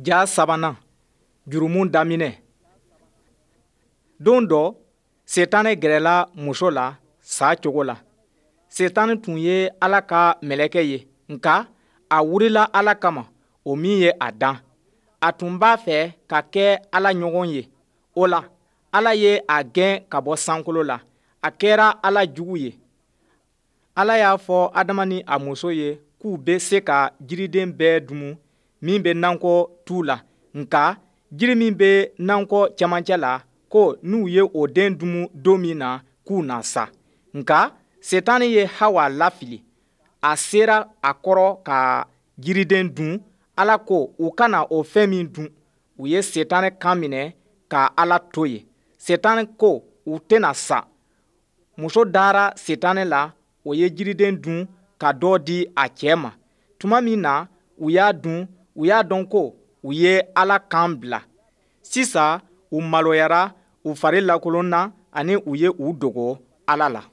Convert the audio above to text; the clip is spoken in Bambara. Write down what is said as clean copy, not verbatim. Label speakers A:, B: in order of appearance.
A: Ja sabanan, jurumu daminɛ. Don dɔ, Setanɛ gɛrɛla muso la sa cogo la. Setanɛ tun ye Ala ka mɛlɛkɛ ye, nka a wurila Ala kama, o min ye a dan. A tun b'a fɛ ka kɛ Ala ɲɔgɔn ye. O la, Ala ye a gɛn ka bɔ sankolo la. A kɛra Ala jugu ye. Ala y'a fɔ Adama ni a muso ye k'u bɛ se ka jiriden bɛɛ dumu min bɛ nakɔ tu la, nka jiri min bɛ nakɔ cɛmancɛ la, ko n'u ye o den dumu don min na, k'u na sa. Nka Setani ye Hawa lafili. A sera a kɔrɔ ka jiriden dun, Ala ko u kana o fɛn min dun. U ye Setani kan minɛ ka Ala to yen. Setani ko u tɛna sa. Muso dara Setani la, o ye jiriden dun ka dɔ di a cɛ ma. Tuma min na u y'a dun, u y'a dɔn ko u ye Ala kan bila. Sisan u maloyara, u fari lakolonna ani u ye u dogo Ala la.